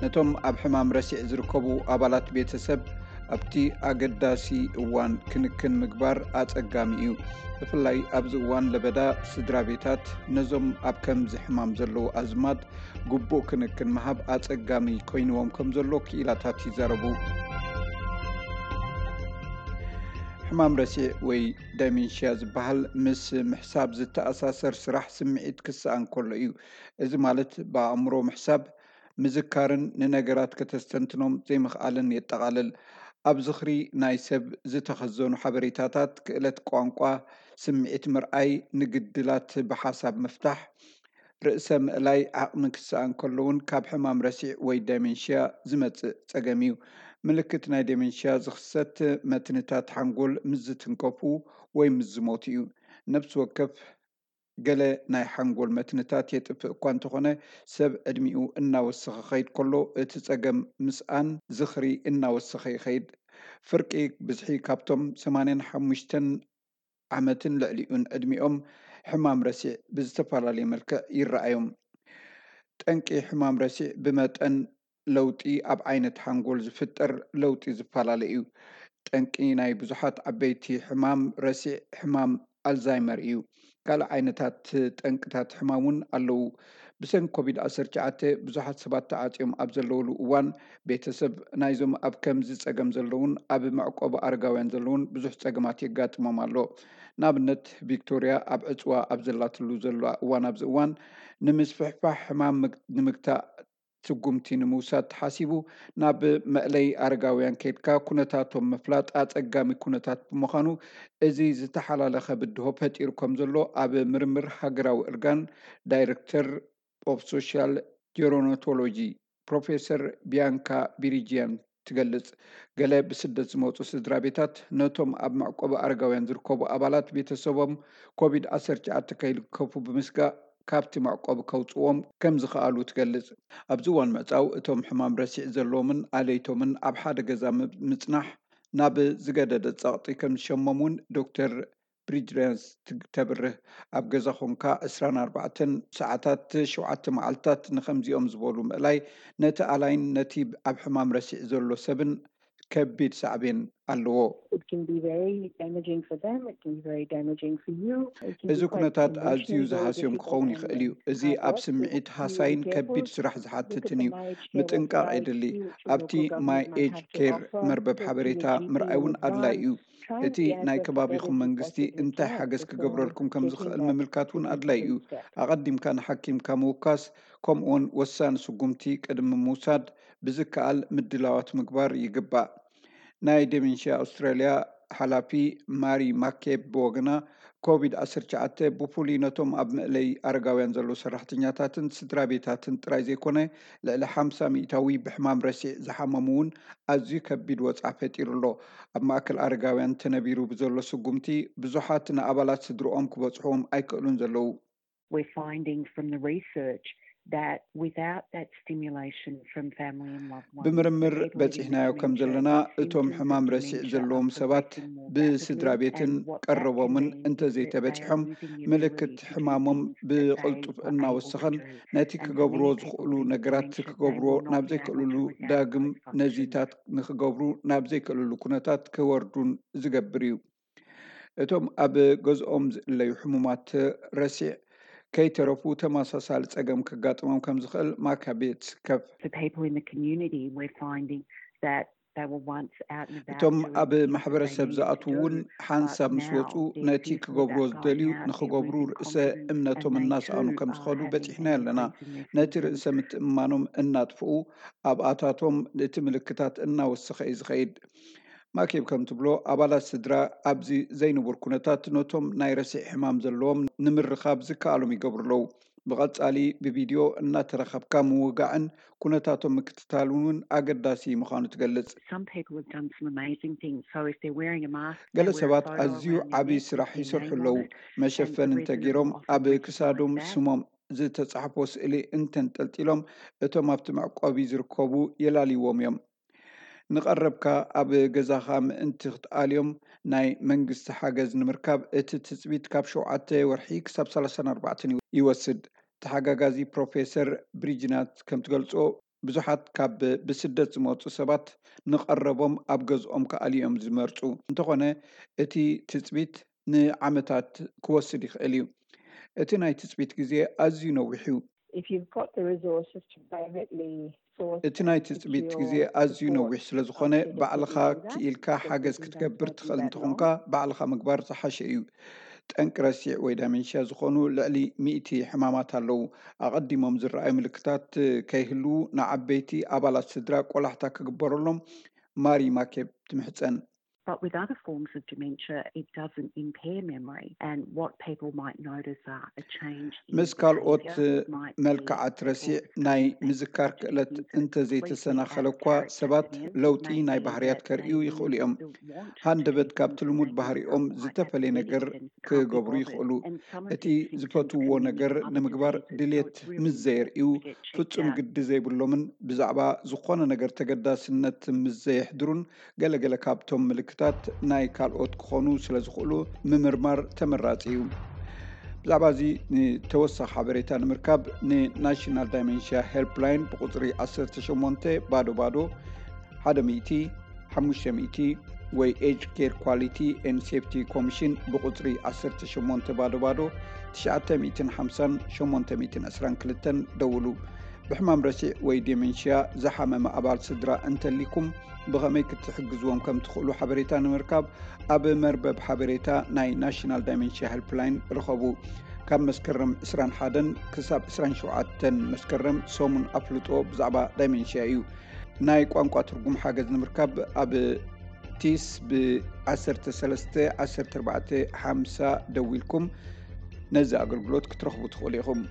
ነቶም ኣብ ሕማም ረሲዕ ዝርከቡ ኣባላት ቤተሰብ ኣብቲ ኣገዳሲ እዋን ክንክን ምግባር ኣጸጋሚ እዩ። ብፍላይ ኣብዚ እዋን ለበዳ፣ ስድራ ቤታት ነዞም ኣብ ከምዚ ሕማም ዘለዉ ኣዝማድ ግቡእ ክንክን ምሃብ ኣጸጋሚ ኮይንዎም ከም ዘሎ ክኢላታት ይዛረቡ። ሕማም ረሲዕ ወይ ደሜንሽያ ዝበሃል ምስ ምሕሳብ ዝተኣሳሰር ስራሕ ስምዒት ክሰኣን ከሎ እዩ። እዚ ማለት ብኣእምሮ ምሕሳብ፣ ምዝካርን ንነገራት ከተስተንትኖም ዘይምኽኣልን የጠቓልል። ኣብ ዝኽሪ ናይ ሰብ ዝተኸዘኑ ሓበሬታታት፣ ክእለት ቋንቋ፣ ስምዒት ምርኣይ፣ ንግድላት ብሓሳብ ምፍታሕ፣ ርእሰ ምእላይ ዓቕሚ ክሰኣን ከሎ እውን ካብ ሕማም ረሲዕ ወይ ደሜንሽያ ዝመጽእ ጸገም እዩ። ምልክት ናይ ደሜንሽያ ዝኽሰት መትንታት ሓንጎል ምስ ዝትንከፉ ወይ ምስ ዝሞቱ እዩ። ነፍሲ ወከፍ ገለ ናይ ሓንጎል መትንታት የጥፍእ እኳ እንተኾነ፣ ሰብ ዕድሚኡ እናወሰኸ ከይድ ከሎ እቲ ጸገም ምስኣን ዝኽሪ እናወሰኸ ይኸይድ። ፍርቂ ብዝሒ ካብቶም ሰማንያን ሓሙሽተን ዓመትን ልዕሊኡን ዕድሚኦም ሕማም ረሲዕ ብዝተፈላለየ መልክዕ ይረኣዮም። ጠንቂ ሕማም ረሲዕ ብመጠን ለውጢ ኣብ ዓይነት ሓንጎል ዝፍጠር ለውጢ ዝፈላለ እዩ። ጠንቂ ናይ ብዙሓት ዓበይቲ ሕማም ረሲዕ ሕማም ኣልዛይመር እዩ። ካልእ ዓይነታት ጠንቅታት ሕማም እውን ኣለዉ። ብሰንኪ ኮቪድ ዓሰርተ ትሽዓተ ብዙሓት ሰባት ተዓጽዮም ኣብ ዘለውሉ እዋን፣ ቤተሰብ ናይዞም ኣብ ከምዚ ጸገም ዘለውን ኣብ መዕቆቢ ኣረጋውያን ዘለውን ብዙሕ ጸገማት የጋጥሞም ኣሎ። ንኣብነት፣ ቪክቶርያ ኣብ ዕጽዋ ኣብ ዘላትሉ ዘላ እዋን፣ ኣብዚ እዋን ንምስፍሕፋሕ ሕማም ምግ-፣ ንምግታእ ስጉምቲ ንምውሳድ ተሓሲቡ ናብ መእለይ ኣረጋውያን ከይድካ ኩነታቶም ምፍላጥ ኣጸጋሚ ኩነታት ብምዃኑ፣ እዚ ዝተሓላለኸ ብድሆ ፈጢሩ ከም ዘሎ ኣብ ምርምር ሃገራዊ እርጋን ዳይሬክተር ኦፍ ሶሻል ጀሮናቶሎጂ ፕሮፌሰር ቢያንካ ቢሪጂያን ትገልጽ። ገለ ብስደት ዝመጹ ስድራ ቤታት ነቶም ኣብ መዕቆቢ ኣረጋውያን ዝርከቡ ኣባላት ቤተሰቦም ኮቪድ ዓሰርተ ትሽዓተ ከይልከፉ ብምስጋእ፣ ካብቲ መዕቆቢ ከውጽዎም ከም ዝኸኣሉ ትገልጽ። ኣብዚ እዋን ምዕጻው፣ እቶም ሕማም ረሲዕ ዘለዎምን ኣለይቶምን ኣብ ሓደ ገዛ ም-፣ ምጽናሕ ናብ ዝገደደ ጸቕጢ ከም ዝሸሞም እውን ዶክተር ብሪጅረንስ ት-፣ ተብርህ። ኣብ ገዛ ኾንካ ዕስራን ኣርባዕተን ሰዓታት፣ ሸውዓተ መዓልታት ንኸምዚኦም ዝበሉ ምእላይ፣ ነቲ ኣላይን ነቲ ኣብ ሕማም ረሲዕ ዘሎ ሰብን ከቢድ ሳዕቤን ኣለዎ። It can be very damaging for them, it can be very damaging for you. It can እዚ be quite ኩነታት ኣዝዩ emotionally ዝሃስዮም very ክኸውን difficult ይኽእል እዩ። And እዚ I ኣብ work ስምዒት with ሃሳይን you ከቢድ careful ስራሕ with ዝሓትትን the እዩ። My Age Care ምጥንቃቕ website የድሊ። You to ኣብቲ Google My My Age Have to Care Offer መርበብ to ሓበሬታ reduce ምርኣይ እውን the ኣድላይ harm እዩ። Try እቲ and ናይ be as ከባቢኹም prepared as መንግስቲ best as you እንታይ can ሓገዝ before ክገብረልኩም ከም ዝኽእል taking that ምምልካት እውን ኣድላይ እዩ። Significant step. ኣቐዲምካ ንሓኪምካ ምውካስ፣ ከምኡውን ወሳኒ ስጉምቲ ቅድሚ ምውሳድ ብዝከኣል ምድላዋት ምግባር ይግባእ። ናይ ደሜንሽያ ኣውስትራልያ ሓላፊ ማሪ ማኬብ ብወገና፣ ኮቪድ ዓሰርተ ትሽዓተ ብፍሉይ ነቶም ኣብ መእለይ ኣረጋውያን ዘለዉ ሰራሕተኛታትን ስድራ ቤታትን ጥራይ ዘይኮነ፣ ልዕሊ ሓምሳ ሚእታዊ ብሕማም ረሲዕ ዝሓመሙ እውን ኣዝዩ ከቢድ ወጽዓ ፈጢሩ ኣሎ። ኣብ ማእከል ኣረጋውያን ተነቢሩ ብዘሎ ስጉምቲ፣ ብዙሓት ንኣባላት ስድርኦም ክበጽሕዎም ኣይክእሉን ዘለዉ። We're finding from the research that without that stimulation from family and loved ones, ብምርምር በጺሕናዮ ከም ዘለና፣ እቶም ሕማም ረሲዕ ዘለዎም ሰባት ብስድራ ቤትን ቀረቦምን እንተዘይተበጺሖም፣ ምልክት ሕማሞም ብቕልጡፍ እናወሰኸን፣ ነቲ ክገብርዎ ዝኽእሉ ነገራት ክገብርዎ ናብ ዘይክእልሉ፣ ዳግም ነዚታት ንክገብሩ ናብ ዘይክእልሉ ኩነታት ክወርዱን ዝገብር እዩ። እቶም ኣብ ገዝኦም ዝእለዩ ሕሙማት ረሲዕ ከይተረፉ ተመሳሳሊ ጸገም ከጋጥሞም ከም ዝኽእል ማካቤ ትስከፍ። The people in the community, we're finding that they were once out and about እቶም doing ኣብ things that they ማሕበረሰብ needed to ዝኣትዉ እውን do, ሓንሳብ but ምስ now ወጹ they're ነቲ fearful ክገብርዎ about ዝደልዩ going out. ንኽገብሩ Everything ርእሰ confidence እምነቶም and they እናሰኣኑ too ከም are ዝኸዱ having በጺሕና an ኣለና። increasingly ነቲ ርእሰ ምትእምማኖም እናጥፍኡ፣ ኣብኣታቶም እቲ ምልክታት እናወሰኸ እዩ ዝኸይድ። ማኬብ ከም ትብሎ፣ ኣባላት ስድራ ኣብዚ ዘይንቡር ኩነታት ነቶም ናይ ረሲዕ ሕማም ዘለዎም ንምርኻብ ዝከኣሎም ይገብሩ ኣለዉ። ብቐጻሊ ብቪድዮ እናተራኸብካ ምውጋዕን ኩነታቶም ምክትታልን እውን ኣገዳሲ ምዃኑ ትገልጽ። Some people have done some amazing things. So if they're wearing a mask, ገለ ሰባት ኣዝዩ ዓቢ ስራሕ ይሰርሑ ኣለዉ። መሸፈኒ እንተገይሮም፣ ኣብ ክሳዶም ስሞም ዝተጻሕፎ ስእሊ እንተንጠልጢሎም፣ እቶም ኣብቲ መዕቆቢ ዝርከቡ የላልይዎም እዮም። ንቐረብካ ኣብ ገዛኻ ምእንቲ ክትኣልዮም፣ ናይ መንግስቲ ሓገዝ ንምርካብ እቲ ትጽቢት ካብ ሸውዓተ ወርሒ ክሳብ ሰላሳን ኣርባዕተን ይወስድ። ተሓጋጋዚ ፕሮፌሰር ብሪጅናት ከም ትገልጾ፣ ብዙሓት ካብ ብስደት ዝመጹ ሰባት ንቐረቦም ኣብ ገዝኦም ክኣልዩ እዮም ዝመርጹ። እንተኾነ እቲ ትጽቢት ንዓመታት ክወስድ ይኽእል እዩ። እቲ ናይ ትጽቢት ግዜ ኣዝዩ ነዊሕ እዩ። If you've got the resources to privately source እቲ ናይ ትጽቢት ግዜ ኣዝዩ ነዊሕ ስለ ዝኾነ፣ ባዕልኻ ክኢልካ ሓገዝ ክትገብር ትኽእል እንተኾንካ፣ ባዕልኻ ምግባር ዝሓሸ እዩ። ጠንቂ ረሲዕ ወይ ዳሜንሽያ ዝኾኑ ልዕሊ ሚእቲ ሕማማት ኣለዉ። ኣቐዲሞም ዝረኣዩ ምልክታት ከይህልዉ፣ ንዓበይቲ ኣባላት ስድራ ቆላሕታ ክግበረሎም ማሪ ማኬብ ትምሕጸን። But with other forms of dementia, it doesn't impair memory. And what people might notice are a change in ምስ ካልኦት behaviour, might be መልክዓት ረሲዕ ናይ ምዝካር ክእለት እንተዘይተሰናኸለ እኳ፣ ሰባት ለውጢ ናይ ባህርያት ከርእዩ ይኽእሉ እዮም። ሃንደበት ካብቲ ልሙድ ባህሪኦም ዝተፈለየ ነገር ክገብሩ ይኽእሉ። እቲ ዝፈትውዎ ነገር ንምግባር ድሌት ምስ ዘየርእዩ፣ ፍጹም ግዲ ዘይብሎምን ብዛዕባ ዝኾነ ነገር ተገዳስነት ምስ ዘየሕድሩን፣ ገለገለ ካብቶም ምልክታት ናይ ካልኦት ክኾኑ ስለ ዝኽእሉ ምምርማር ተመራጺ እዩ። ብዛዕባ እዚ ንተወሳኺ ሓበሬታ ንምርካብ ንናሽናል ዳይሜንሽያ ሄልፕላይን ብቁጽሪ ዓሰርተ ሸሞንተ ባዶ ባዶ ሓደ ሚእቲ ሓሙሽተ ሚእቲ ወይ ኤጅ ኬር ኳሊቲ ኤንድ ሴፍቲ ኮሚሽን ብቁጽሪ ዓሰርተ ሸሞንተ ባዶ ባዶ ትሽዓተ ሚእትን ሓምሳን ሸሞንተ ሚእትን ዕስራን ክልተን ደውሉ። ብሕማም ረሲዕ ወይ ዴሜንሽያ ዝሓመመ ኣባል ስድራ እንተሊኩም ብኸመይ ክትሕግዝዎም ከም ትኽእሉ ሓበሬታ ንምርካብ ኣብ መርበብ ሓበሬታ ናይ ናሽናል ዳይሜንሽያ ሄልፕላይን ርኸቡ። ካብ መስከረም ዕስራን ሓደን ክሳብ ዕስራን ሸውዓተን መስከረም ሰሙን ኣፍልጦ ብዛዕባ ዳይሜንሽያ እዩ። ናይ ቋንቋ ትርጉም ሓገዝ ንምርካብ ኣብ ቲስ ብ ዓሰርተ ሰለስተ ዓሰርተ ኣርባዕተ ሓምሳ ደዊልኩም ነዚ ኣገልግሎት ክትረኽቡ ትኽእሉ ኢኹም።